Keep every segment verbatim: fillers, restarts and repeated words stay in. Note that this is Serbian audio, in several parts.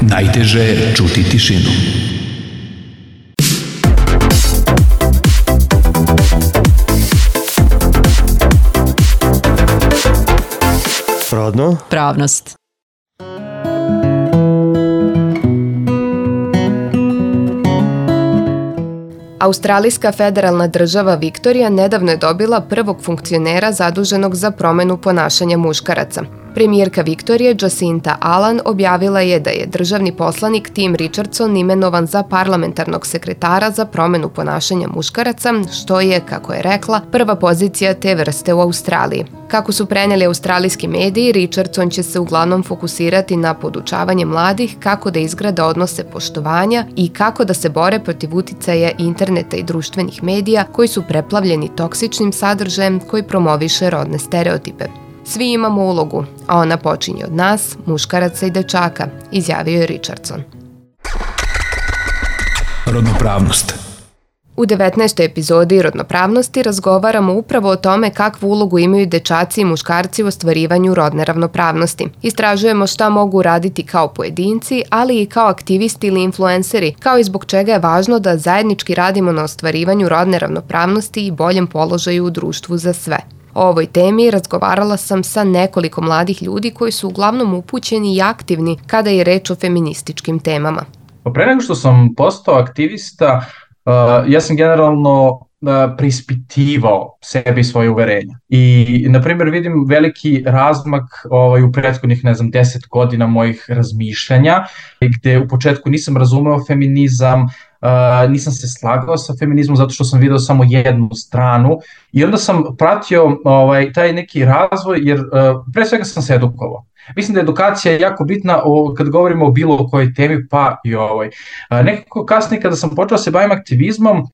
Najteže je čuti tišinu. Rodno? Pravnost. Australijska federalna država Viktorija nedavno je dobila prvog funkcionera zaduženog za promenu ponašanja muškaraca. Premijerka Viktorije Jacinta Allan objavila je da je državni poslanik Tim Richardson imenovan za parlamentarnog sekretara za promenu ponašanja muškaraca, što je, kako je rekla, prva pozicija te vrste u Australiji. Kako su preneli australijski mediji, Richardson će se uglavnom fokusirati na podučavanje mladih kako da izgrade odnose poštovanja i kako da se bore protiv uticaja interneta i društvenih medija koji su preplavljeni toksičnim sadržajem koji promoviše rodne stereotipe. Svi imamo ulogu, a ona počinje od nas, muškaraca i dečaka, izjavio je Richardson. Rodnopravnost. U devetnaestoj epizodi Rodnopravnosti razgovaramo upravo o tome kakvu ulogu imaju dečaci i muškarci u ostvarivanju rodne ravnopravnosti. Istražujemo šta mogu raditi kao pojedinci, ali i kao aktivisti ili influenceri, kao i zbog čega je važno da zajednički radimo na ostvarivanju rodne ravnopravnosti i boljem položaju u društvu za sve. O ovoj temi razgovarala sam sa nekoliko mladih ljudi koji su uglavnom upućeni i aktivni kada je reč o feminističkim temama. Pre nego što sam postao aktivista, uh, ja sam generalno uh, preispitivao sebe i svoje uverenja. I, na primjer, vidim veliki razmak ovaj, u prethodnih, ne znam, deset godina mojih razmišljanja, gde u početku nisam razumeo feminizam, Uh, nisam se slagao sa feminizmom zato što sam video samo jednu stranu i onda sam pratio ovaj, taj neki razvoj jer uh, pre svega sam se edukovao. Mislim da je edukacija jako bitna o, kad govorimo o bilo kojoj temi, pa i ovoj. Uh, nekako kasnije kada sam počeo se bavim aktivizmom, uh,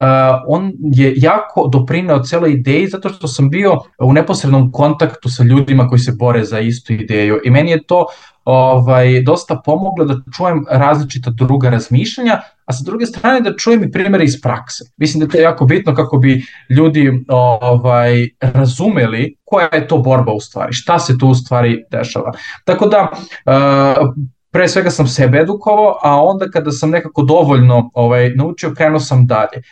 on je jako doprineo celoj ideji zato što sam bio u neposrednom kontaktu sa ljudima koji se bore za istu ideju i meni je to Ovaj, dosta pomoglo da čujem različita druga razmišljanja, a sa druge strane da čujem i primere iz prakse. Mislim da je to jako bitno kako bi ljudi ovaj, razumeli koja je to borba u stvari, šta se tu u stvari dešava. Tako da, uh, pre svega sam sebe edukovao, a onda kada sam nekako dovoljno ovaj, naučio, krenuo sam dalje.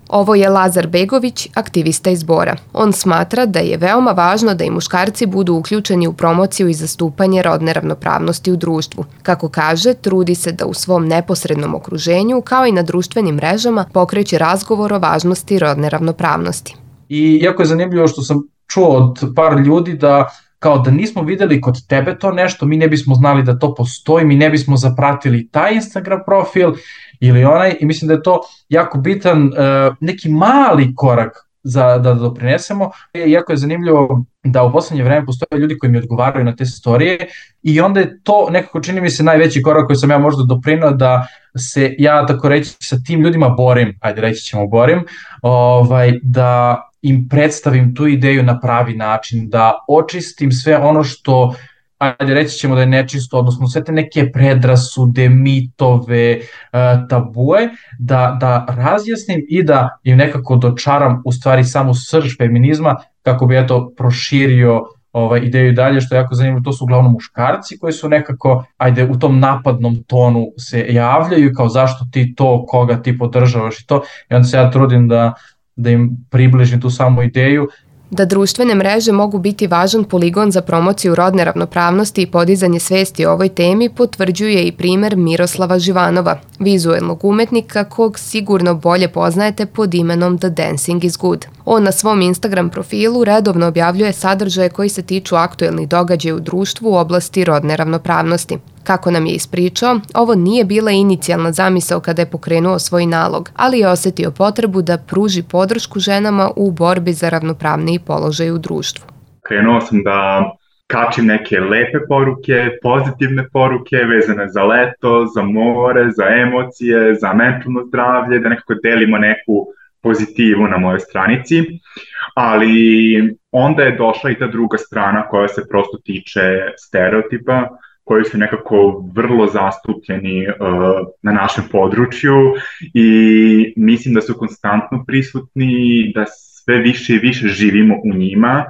Ovo je Lazar Begović, aktivista iz Bora. On smatra da je veoma važno da i muškarci budu uključeni u promociju i zastupanje rodne ravnopravnosti u društvu. Kako kaže, trudi se da u svom neposrednom okruženju, kao i na društvenim mrežama, pokreće razgovor o važnosti rodne ravnopravnosti. I jako je zanimljivo što sam čuo od par ljudi da kao da nismo videli kod tebe to nešto, mi ne bismo znali da to postoji, mi ne bismo zapratili taj Instagram profil ili onaj i mislim da je to jako bitan uh, neki mali korak za da doprinesemo. Jako je zanimljivo da u poslednje vreme postoje ljudi koji mi odgovaraju na te storije i onda je to nekako čini mi se najveći korak koji sam ja možda doprineo da se ja tako reći sa tim ljudima borim, ajde reći ćemo borim, ovaj, da im predstavim tu ideju na pravi način, da očistim sve ono što, ajde reći ćemo da je nečisto, odnosno sve te neke predrasude, mitove, tabue, da, da razjasnim i da im nekako dočaram u stvari samu srž feminizma kako bi eto proširio ovaj, ideju dalje, što je jako zanimljivo, to su uglavnom muškarci koji su nekako, ajde, u tom napadnom tonu se javljaju kao zašto ti to, koga ti podržavaš i to, i onda se ja trudim da da im približim tu samu ideju. Da društvene mreže mogu biti važan poligon za promociju rodne ravnopravnosti i podizanje svesti o ovoj temi potvrđuje i primer Miroslava Živanova, vizuelnog umetnika kog sigurno bolje poznajete pod imenom The Dancing is Good. On na svom Instagram profilu redovno objavljuje sadržaje koji se tiču aktuelnih događaja u društvu u oblasti rodne ravnopravnosti. Kako nam je ispričao, ovo nije bila inicijalna zamisao kada je pokrenuo svoj nalog, ali je osetio potrebu da pruži podršku ženama u borbi za ravnopravniji položaj u društvu. Krenuo sam da kačim neke lepe poruke, pozitivne poruke vezane za leto, za more, za emocije, za mentalno zdravlje, da nekako delimo neku pozitivu na mojoj stranici, ali onda je došla i ta druga strana koja se prosto tiče stereotipa, koji su nekako vrlo zastupljeni uh, na našem području i mislim da su konstantno prisutni, da sve više i više živimo u njima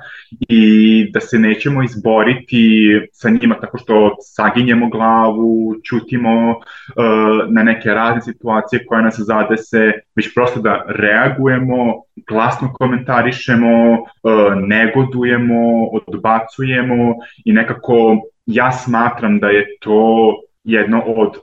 i da se nećemo izboriti sa njima tako što saginjemo glavu, ćutimo uh, na neke razne situacije koje nas zadese, već prosto da reagujemo, glasno komentarišemo, uh, negodujemo, odbacujemo i nekako ja smatram da je to jedno od uh,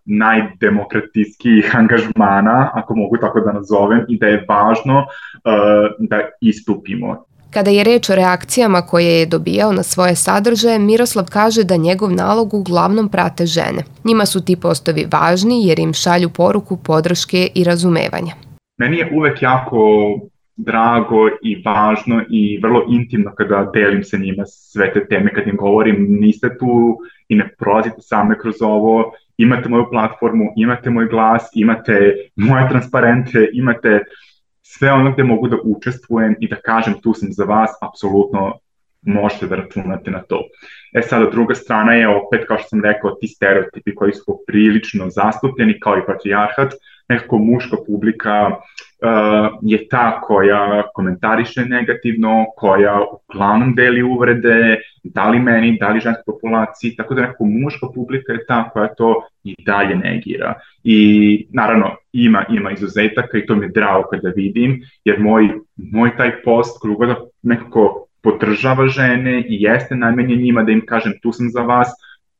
najdemokratskijih angažmana, ako mogu tako da nazovem, i da je važno uh, da istupimo. Kada je reč o reakcijama koje je dobijao na svoje sadržaje, Miroslav kaže da njegov nalog uglavnom prate žene. Njima su ti postovi važni jer im šalju poruku podrške i razumevanja. Meni je uvek jako drago i važno i vrlo intimno kada delim sa njima sve te teme, kad im govorim niste tu i ne prolazite same kroz ovo, imate moju platformu, imate moj glas, imate moje transparente, imate sve ono gde mogu da učestvujem i da kažem tu sam za vas, apsolutno možete da računate na to. E sada, druga strana je opet, kao što sam rekao, ti stereotipi koji su prilično zastupljeni, kao i patrijarhat, nekako muška publika uh, je ta koja komentariše negativno, koja uglavnom deli uvrede, da li meni, da li ženskoj populaciji, tako da nekako muška publika je ta koja to i dalje negira. I naravno ima, ima izuzetaka i to mi je drago kada vidim, jer moj, moj taj post koji god nekako podržava žene i jeste namenjen njima da im kažem tu sam za vas,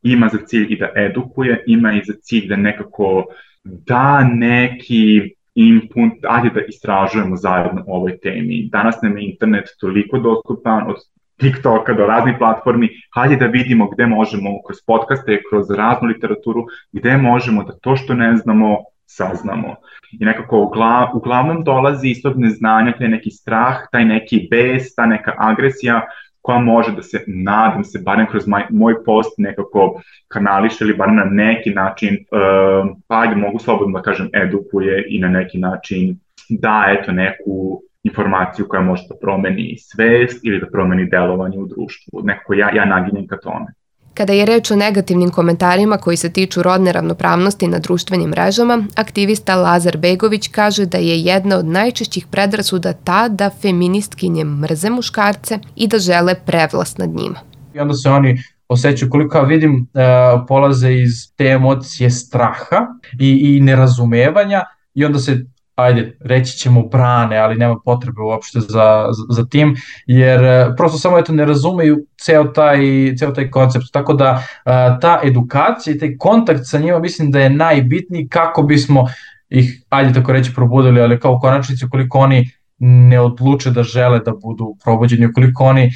ima za cilj i da edukuje, ima i za cilj da nekako da neki input, ajde da istražujemo zajedno o ovoj temi. Danas nam je internet toliko dostupan, od TikToka do raznih platformi, hajde da vidimo gde možemo kroz podcaste, kroz raznu literaturu, gde možemo da to što ne znamo, saznamo. I nekako uglav, uglavnom dolazi iz tog neznanja, taj neki strah, taj neki bes, ta neka agresija koja može da se, nadam se, barem kroz moj, moj post nekako kanališe ili barem na neki način, uh, pa ajde mogu slobodno da kažem, edukuje i na neki način da eto neku informaciju koja može da promeni svest ili da promeni delovanje u društvu. Nekako ja, ja naginjem ka tome. Kada je reč o negativnim komentarima koji se tiču rodne ravnopravnosti na društvenim mrežama, aktivista Lazar Begović kaže da je jedna od najčešćih predrasuda ta da feministkinje mrze muškarce i da žele prevlast nad njima. I onda se oni osjećaju, koliko ja vidim, uh, polaze iz te emocije straha i, i nerazumevanja i onda se ajde, reći ćemo brane, ali nema potrebe uopšte za, za, za tim, jer prosto samo eto ne razumeju ceo taj, ceo taj koncept. Tako da ta edukacija i taj kontakt sa njima mislim da je najbitniji kako bismo ih, ajde tako reći, probudili, ali kao u konačnici ukoliko oni ne odluče da žele da budu probuđeni, ukoliko oni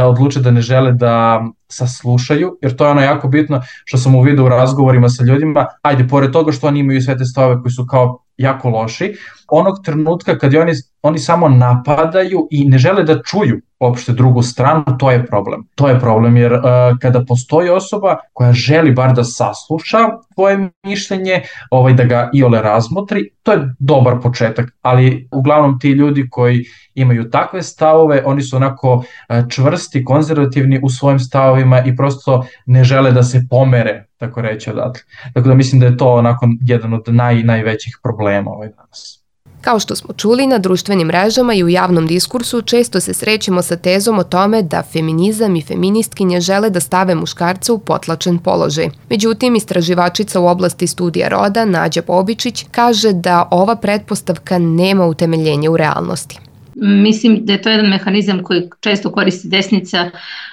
odluče da ne žele da saslušaju, jer to je ono jako bitno što sam uvidio u razgovorima sa ljudima, ajde, pored toga što oni imaju sve te stavove koji su kao jako loši, onog trenutka kad oni, oni samo napadaju i ne žele da čuju uopšte drugu stranu, to je problem. To je problem jer uh, kada postoji osoba koja želi bar da sasluša tvoje mišljenje, ovaj, da ga iole razmotri, to je dobar početak, ali uglavnom ti ljudi koji imaju takve stavove, oni su onako uh, čvrsti, konzervativni u svojim stavovima i prosto ne žele da se pomere, tako reći, odatle. Tako da mislim da je to onako jedan od naj, najvećih problema ovaj danas. Kao što smo čuli, na društvenim mrežama i u javnom diskursu često se srećemo sa tezom o tome da feminizam i feministkinje žele da stave muškarce u potlačen položaj. Međutim, istraživačica u oblasti studija roda, Nađa Bobičić, kaže da ova pretpostavka nema utemeljenja u realnosti. Mislim da je to jedan mehanizam koji često koristi desnica,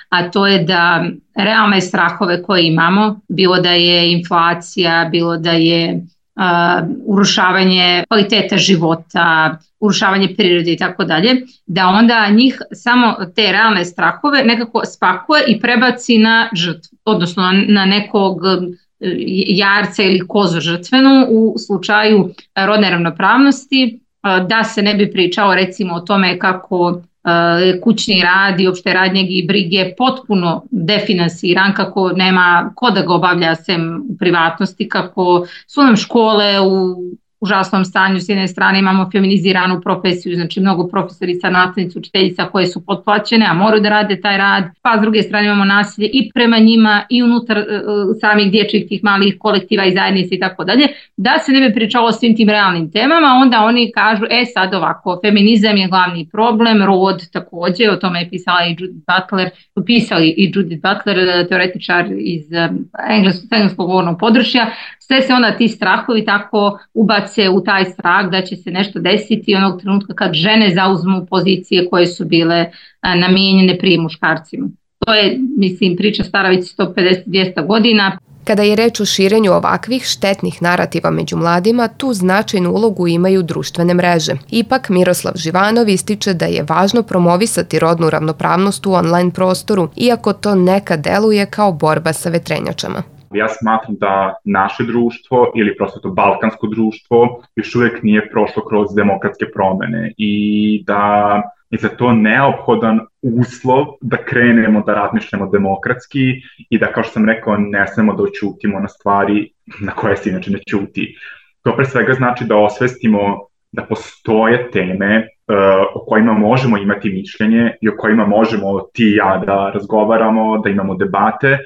a to je da realne strahove koje imamo, bilo da je inflacija, bilo da je Uh, urušavanje kvaliteta života, urušavanje prirode i tako dalje, da onda njih samo te realne strahove nekako spakuje i prebaci na žrtvu, odnosno na nekog jarca ili kozu žrtvenu u slučaju rodne ravnopravnosti, uh, da se ne bi pričalo recimo o tome kako kućni rad i opšte radnjeg i brige potpuno definansiran, kako nema ko da ga obavlja sem u privatnosti, kako su nam škole u užasnom stanju. S jedne strane imamo feminiziranu profesiju, znači mnogo profesorica, nastavnica, učiteljica koje su potplaćene, a moraju da rade taj rad, pa s druge strane imamo nasilje i prema njima i unutar uh, samih dječjih tih malih kolektiva i zajednica i tako dalje. Da se ne bi pričalo o svim tim realnim temama, onda oni kažu, e sad ovako, feminizam je glavni problem, rod također, o tome je pisala i Judith Butler, pisali i Judith Butler, teoretičar iz um, engleskog, engleskog govornog područja. Sve se onda ti strahovi tako ubace u taj strah da će se nešto desiti onog trenutka kad žene zauzmu pozicije koje su bile a, namijenjene prije muškarcima. To je, mislim, priča stara već sto pedeset do dvjesto godina. Kada je reč o širenju ovakvih štetnih narativa među mladima, tu značajnu ulogu imaju društvene mreže. Ipak, Miroslav Živanov ističe da je važno promovisati rodnu ravnopravnost u online prostoru, iako to nekad deluje kao borba sa vetrenjačama. Ja smatram da naše društvo ili prosto to balkansko društvo još uvijek nije prošlo kroz demokratske promjene i da je za to neophodan uslov da krenemo da razmišljamo demokratski i da, kao što sam rekao, ne smemo da oćutimo na stvari na koje se inače ne ćuti. To pre svega znači da osvestimo da postoje teme uh, o kojima možemo imati mišljenje i o kojima možemo ti i ja da razgovaramo, da imamo debate,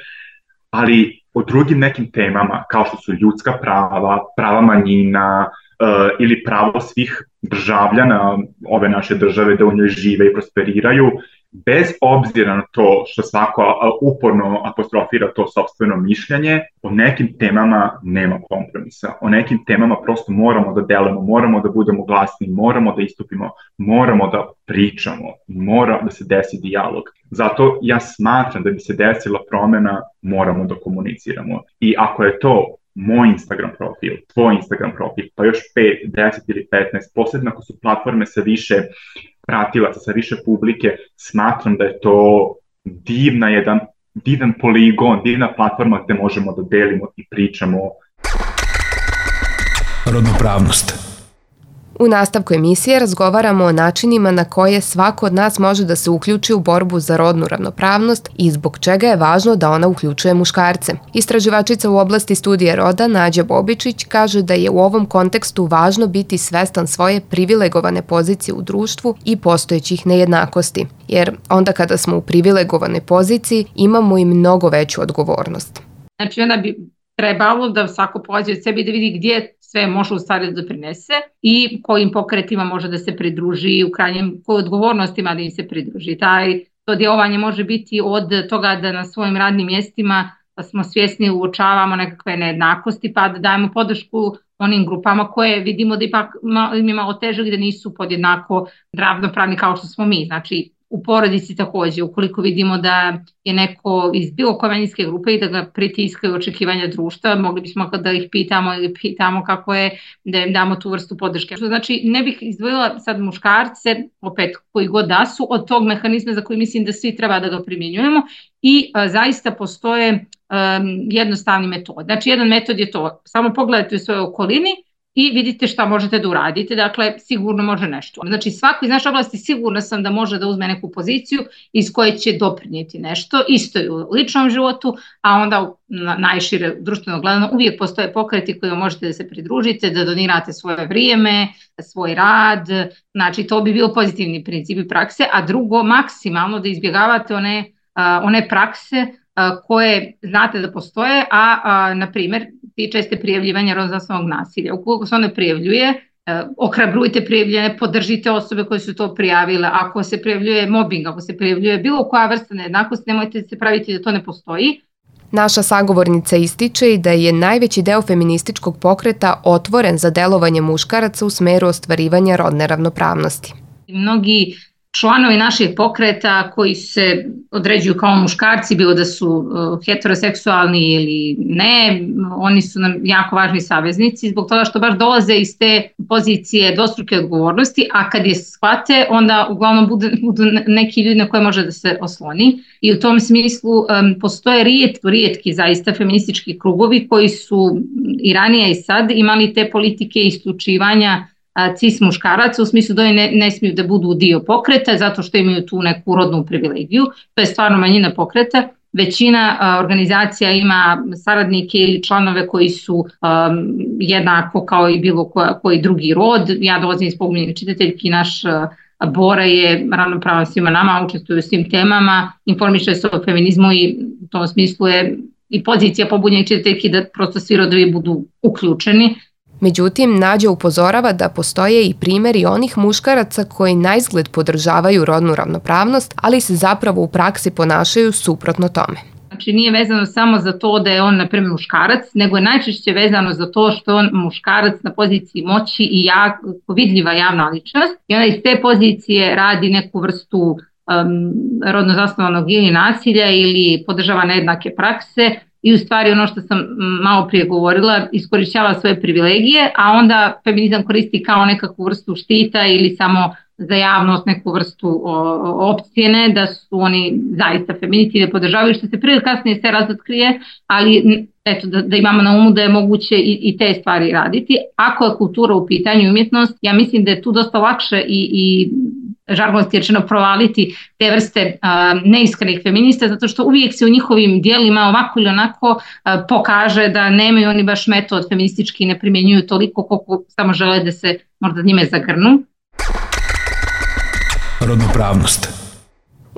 ali o drugim nekim temama kao što su ljudska prava, prava manjina uh, ili pravo svih državljana ove naše države da u njoj žive i prosperiraju, bez obzira na to što svako uporno apostrofira to sopstveno mišljenje, o nekim temama nema kompromisa. O nekim temama prosto moramo da delamo, moramo da budemo glasni, moramo da istupimo, moramo da pričamo, mora da se desi dijalog. Zato ja smatram da bi se desila promjena, moramo da komuniciramo. I ako je to moj Instagram profil, tvoj Instagram profil, pa još pet, deset ili petnaest, posebno ako su platforme sa više pratilaca, sa više publike, smatram da je to divna jedan, divan poligon, divna platforma gdje možemo da delimo i pričamo. Rodnopravnost. U nastavku emisije razgovaramo o načinima na koje svako od nas može da se uključi u borbu za rodnu ravnopravnost i zbog čega je važno da ona uključuje muškarce. Istraživačica u oblasti studije roda Nađa Bobičić kaže da je u ovom kontekstu važno biti svestan svoje privilegovane pozicije u društvu i postojećih nejednakosti, jer onda kada smo u privilegovanoj poziciji imamo i mnogo veću odgovornost. Znači onda bi trebalo da svako polazi od sebe i da vidi gdje sve može u stvari da doprinese i kojim pokretima može da se pridruži, u krajnjem kojoj odgovornostima da im se pridruži. Taj, to djelovanje može biti od toga da na svojim radnim mjestima smo svjesni, uočavamo nekakve nejednakosti, pa da dajemo podršku onim grupama koje vidimo da ipak im je malo teže, gdje nisu podjednako ravnopravni kao što smo mi. Znači, u porodici također, ukoliko vidimo da je neko iz bilo koje manjinske grupe i da ga pritiskaju očekivanja društva, mogli bismo da ih pitamo ili pitamo kako je, da im damo tu vrstu podrške. Znači, ne bih izdvojila sad muškarce, opet koji god da su, od tog mehanizma za koji mislim da svi treba da ga primjenjujemo i a, zaista postoje um, jednostavni metod. Znači, jedan metod je to, samo pogledajte u svojoj okolini i vidite šta možete da uradite, dakle sigurno može nešto. Znači svako iz naše oblasti sigurno sam da može da uzme neku poziciju iz koje će doprinijeti nešto, isto i u ličnom životu, a onda najšire društveno gledano uvijek postoje pokreti koji možete da se pridružite, da donirate svoje vrijeme, svoj rad, znači to bi bio pozitivni principi prakse, a drugo maksimalno da izbjegavate one, one prakse koje znate da postoje, a, a na primjer tiče se prijavljivanja rodno zasnovanog nasilja. Ukoliko se one prijavljuje, ohrabrujte prijavljene, podržite osobe koje su to prijavile. Ako se prijavljuje mobbing, ako se prijavljuje bilo koja vrsta nejednakosti, nemojte se praviti da to ne postoji. Naša sagovornica ističe i da je najveći deo feminističkog pokreta otvoren za delovanje muškaraca u smeru ostvarivanja rodne ravnopravnosti. Mnogi članovi naših pokreta koji se određuju kao muškarci, bilo da su uh, heteroseksualni ili ne, oni su nam jako važni saveznici zbog toga što baš dolaze iz te pozicije dvostruke odgovornosti, a kad je shvate, onda uglavnom budu, budu neki ljudi na koje može da se osloni. I u tom smislu um, postoje rijetki, rijetki zaista feministički krugovi koji su i ranije i sad imali te politike isključivanja cis muškaraca, u smislu da oni ne, ne smiju da budu dio pokreta zato što imaju tu neku rodnu privilegiju, to je stvarno manjina pokreta većina a, organizacija ima saradnike ili članove koji su a, jednako kao i bilo koja, koji drugi rod. Ja dolazim iz Pogunjenih čitateljki, naš a, Bora je ravnopravan svima nama, učestvuje u svim temama, informiše se o feminizmu i u tom smislu je i pozicija Pobunjenih čitateljki da prosto svi rodovi budu uključeni. Međutim, Nađa upozorava da postoje i primjeri onih muškaraca koji naizgled podržavaju rodnu ravnopravnost, ali se zapravo u praksi ponašaju suprotno tome. Znači nije vezano samo za to da je on, na primjer, muškarac, nego je najčešće vezano za to što je on muškarac na poziciji moći i jak, vidljiva javna ličnost i onda iz te pozicije radi neku vrstu um, rodno zasnovanog ili nasilja ili podržava nejednake prakse i u stvari ono što sam malo prije govorila, iskorišćava svoje privilegije, a onda feminizam koristi kao nekakvu vrstu štita ili samo za javnost neku vrstu opcijene da su oni zaista feministi da podržavaju, što se prije kasnije sve razotkrije, ali eto, da, da imamo na umu da je moguće i, i te stvari raditi. Ako je kultura u pitanju umjetnost, ja mislim da je tu dosta lakše i, i žargonski rečeno provaliti te vrste uh, neiskrenih feminista, zato što uvijek se u njihovim dijelima ovako ili onako uh, pokaže da nemaju oni baš metod feministički, ne primjenjuju toliko koliko samo žele da se možda njime zagrnu. Rodnopravnost.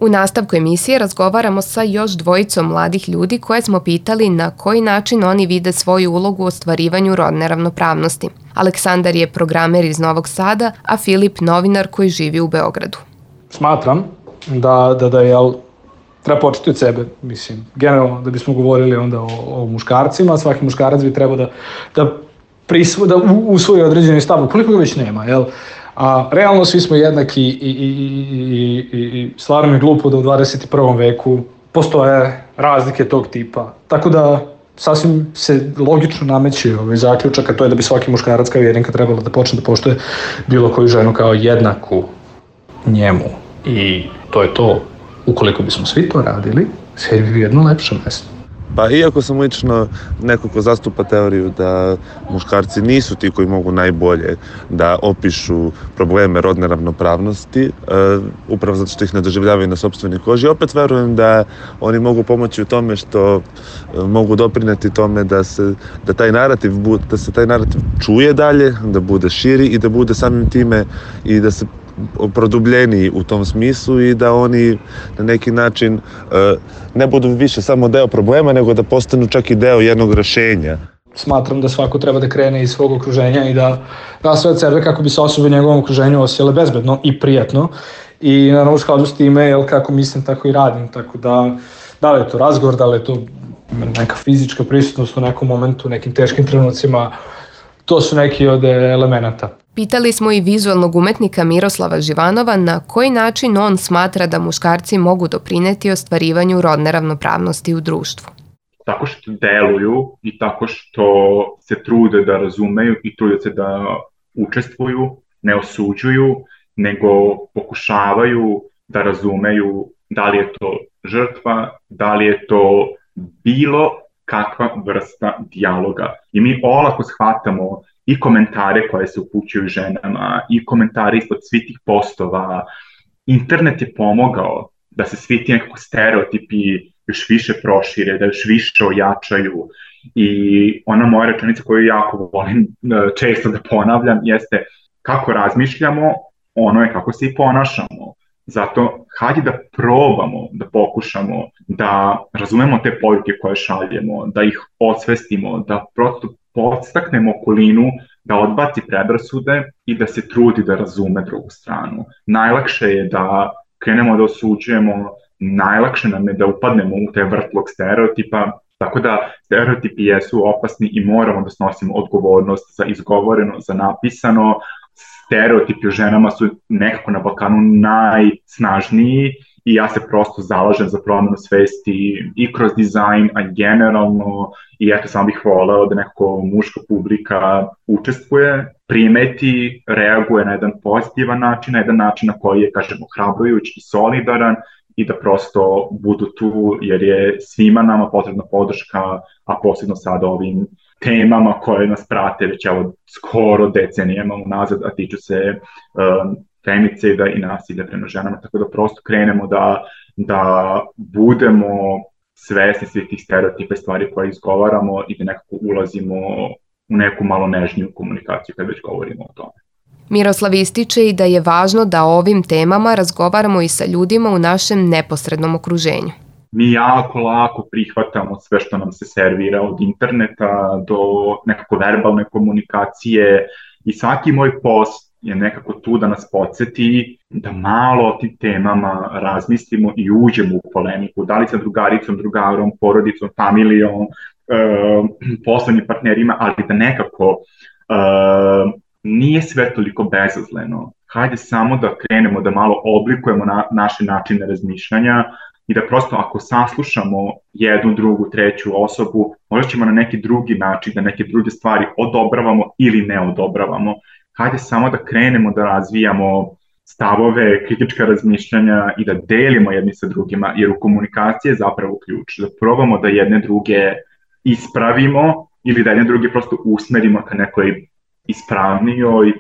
U nastavku emisije razgovaramo sa još dvojicom mladih ljudi koje smo pitali na koji način oni vide svoju ulogu u ostvarivanju rodne ravnopravnosti. Aleksandar je programer iz Novog Sada, a Filip novinar koji živi u Beogradu. Smatram da, da, da jel, treba početi od sebe, mislim, generalno da bismo govorili onda o, o muškarcima, svaki muškarac bi trebao da, da, prisvo, da usvoji određeni stav, koliko ga već nema, jel? A realno svi smo jednaki i, i, i, i, i stvarno je glupo da u dvadeset prvom veku postoje razlike tog tipa. Tako da sasvim se logično nameće ovaj zaključak, a to je da bi svaki muškarac kao jedinka trebalo da počne da poštuje bilo koju ženu kao jednaku njemu. I to je to. Ukoliko bismo svi to radili, sve bi bio jedno lepše mesto. Pa iako sam lično neko ko zastupa teoriju da muškarci nisu ti koji mogu najbolje da opišu probleme rodne ravnopravnosti, uh, upravo zato što ih ne doživljavaju na sopstvenoj koži, opet verujem da oni mogu pomoći u tome što uh, mogu doprineti tome da se, da taj narativ, da se taj narativ čuje dalje, da bude širi i da bude samim time i da se produbljeniji u tom smislu i da oni na neki način uh, ne budu više samo deo problema, nego da postanu čak i deo jednog rešenja. Smatram da svako treba da krene iz svog okruženja i da da sve od sebe kako bi se osobe u njegovom okruženju osjećale bezbedno i prijatno. I naravno u skladu s time, jel, kako mislim, tako i radim. Tako da, da li je to razgovor, da li je to neka fizička prisutnost u nekom momentu, u nekim teškim trenucima, to su neki od elemenata. Pitali smo i vizualnog umetnika Miroslava Živanova na koji način on smatra da muškarci mogu doprineti ostvarivanju rodne ravnopravnosti u društvu. Tako što deluju i tako što se trude da razumeju i trude se da učestvuju, ne osuđuju, nego pokušavaju da razumeju da li je to žrtva, da li je to bilo kakva vrsta dijaloga. I mi olako shvatamo i komentare koje se upućuju ženama, i komentare ispod svih tih postova. Internet je pomogao da se svi ti nekako stereotipi još više prošire, da još više ojačaju. I ona moja rečenica koju jako volim često da ponavljam jeste kako razmišljamo, ono je kako se i ponašamo. Zato hajde da probamo, da pokušamo, da razumemo te poruke koje šaljemo, da ih osvestimo, da prosto podstaknemo okolinu da odbaci predrasude i da se trudi da razume drugu stranu. Najlakše je da krenemo da osuđujemo, najlakše nam je da upadnemo u te vrtlog stereotipa, tako da stereotipi jesu opasni i moramo da snosimo odgovornost za izgovoreno, za napisano. Stereotipi o ženama su nekako na Balkanu najsnažniji i ja se prosto zalažem za promenu svesti i kroz dizajn, a generalno, i eto sam bih voleo da nekako muška publika učestvuje, primeti, reaguje na jedan pozitivan način, na jedan način na koji je, kažemo, hrabrujuć i solidaran i da prosto budu tu jer je svima nama potrebna podrška, a posebno sad ovim temama koje nas prate već evo skoro decenijama unazad, a tiču se um, femicida i nasilja prema ženama, tako da prosto krenemo da, da budemo svesni svih tih stereotipa i stvari koje izgovaramo i da nekako ulazimo u neku malo nežniju komunikaciju kad već govorimo o tome. Miroslav ističe i da je važno da o ovim temama razgovaramo i sa ljudima u našem neposrednom okruženju. Mi jako lako prihvatamo sve što nam se servira od interneta do nekako verbalne komunikacije i svaki moj post je nekako tu da nas podsjeti da malo o tim temama razmislimo i uđemo u polemiku, da li sa drugaricom, drugarom, porodicom, familijom, e, poslovnim partnerima, ali da nekako e, nije sve toliko bezazleno. Hajde samo da krenemo, da malo oblikujemo na, naše načine razmišljanja i da prosto ako saslušamo jednu, drugu, treću osobu, možda ćemo na neki drugi način, da neke druge stvari odobravamo ili ne odobravamo. Hajde samo da krenemo da razvijamo stavove, kritička razmišljanja i da delimo jedni sa drugima, jer u komunikaciji je zapravo ključ. Da probamo da jedne druge ispravimo ili da jedne druge prosto usmerimo ka nekoj ispravnijoj uh,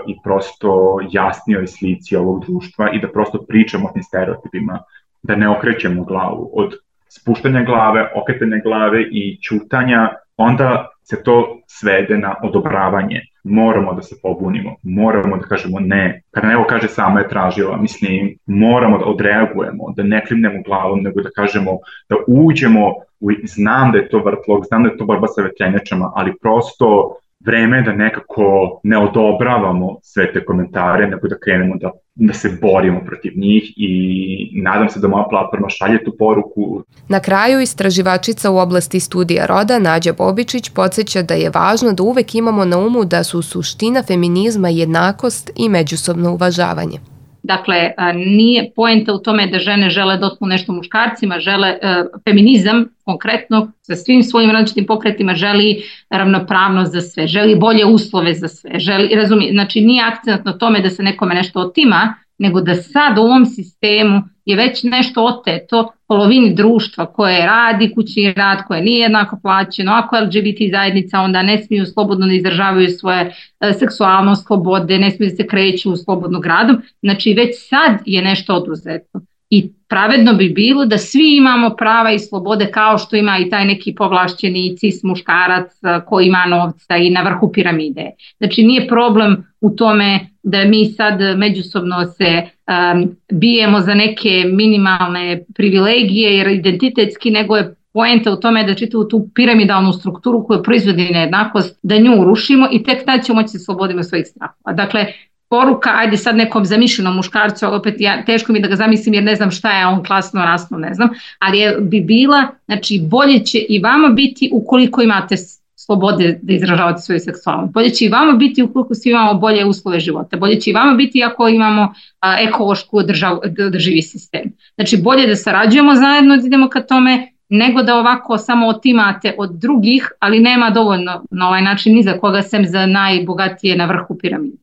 i prosto jasnijoj slici ovog društva i da prosto pričamo o tim stereotipima, da ne okrećemo glavu. Od spuštanja glave, okretanja glave i ćutanja, onda se to svede na odobravanje. Moramo da se pobunimo, moramo da kažemo ne. Kada neko kaže sama je tražila, mislim, moramo da odreagujemo, da ne klimnemo glavom, nego da kažemo, da uđemo, u, znam da je to vrtlog, znam da je to borba sa vetrenjačama, ali prosto vreme je da nekako ne odobravamo sve te komentare, nego da krenemo da, da se borimo protiv njih i nadam se da moja platforma šalje tu poruku. Na kraju, istraživačica u oblasti studija roda Nađa Bobičić podsjeća da je važno da uvek imamo na umu da su suština feminizma jednakost i međusobno uvažavanje. Dakle, nije poenta u tome da žene žele da otmu nešto muškarcima, žele feminizam konkretno sa svim svojim različitim pokretima želi ravnopravnost za sve, želi bolje uslove za sve, želi, razumije, znači nije akcent na tome da se nekome nešto otima, nego da sad u ovom sistemu je već nešto oteto polovini društva koje radi kućni rad, koje nije jednako plaćeno, ako je L G B T zajednica onda ne smiju slobodno da izražavaju svoje e, seksualnost, slobode, ne smiju da se kreću u slobodnu gradom, znači već sad je nešto oduzeto. I pravedno bi bilo da svi imamo prava i slobode kao što ima i taj neki povlašćeni cis muškarac koji ima novca i na vrhu piramide. Znači nije problem u tome da mi sad međusobno se um, bijemo za neke minimalne privilegije jer identitetski, nego je poenta u tome da čitavu tu piramidalnu strukturu koju proizvodi nejednakost, da nju urušimo i tek tad ćemo moći se slobodimo svojih strahova. Dakle, poruka, ajde sad nekom zamišljenom muškarcu, opet ja, teško mi da ga zamislim jer ne znam šta je on klasno, rasno, ne znam, ali je, bi bila, znači bolje će i vama biti ukoliko imate slobode da izražavate svoju seksualnost, bolje će i vama biti ukoliko svi imamo bolje uslove života, bolje će i vama biti ako imamo a, ekološku održav, održivi sistem. Znači bolje da sarađujemo zajedno, da idemo ka tome, nego da ovako samo otimate od drugih, ali nema dovoljno na ovaj način ni za koga sem za najbogatije na vrhu piramide.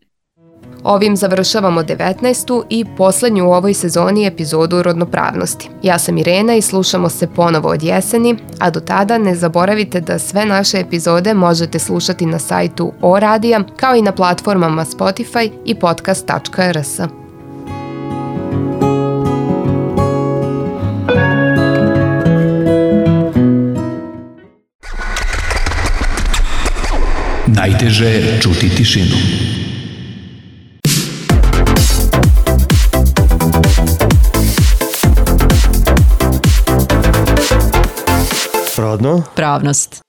Ovim završavamo devetnaestu i poslednju u ovoj sezoni epizodu Rodnopravnosti. Ja sam Irena i slušamo se ponovo od jeseni, a do tada ne zaboravite da sve naše epizode možete slušati na sajtu O Radija, kao i na platformama Spotify i podcast tačka r s. Najteže je čuti tišinu. Rodno? Pravnost.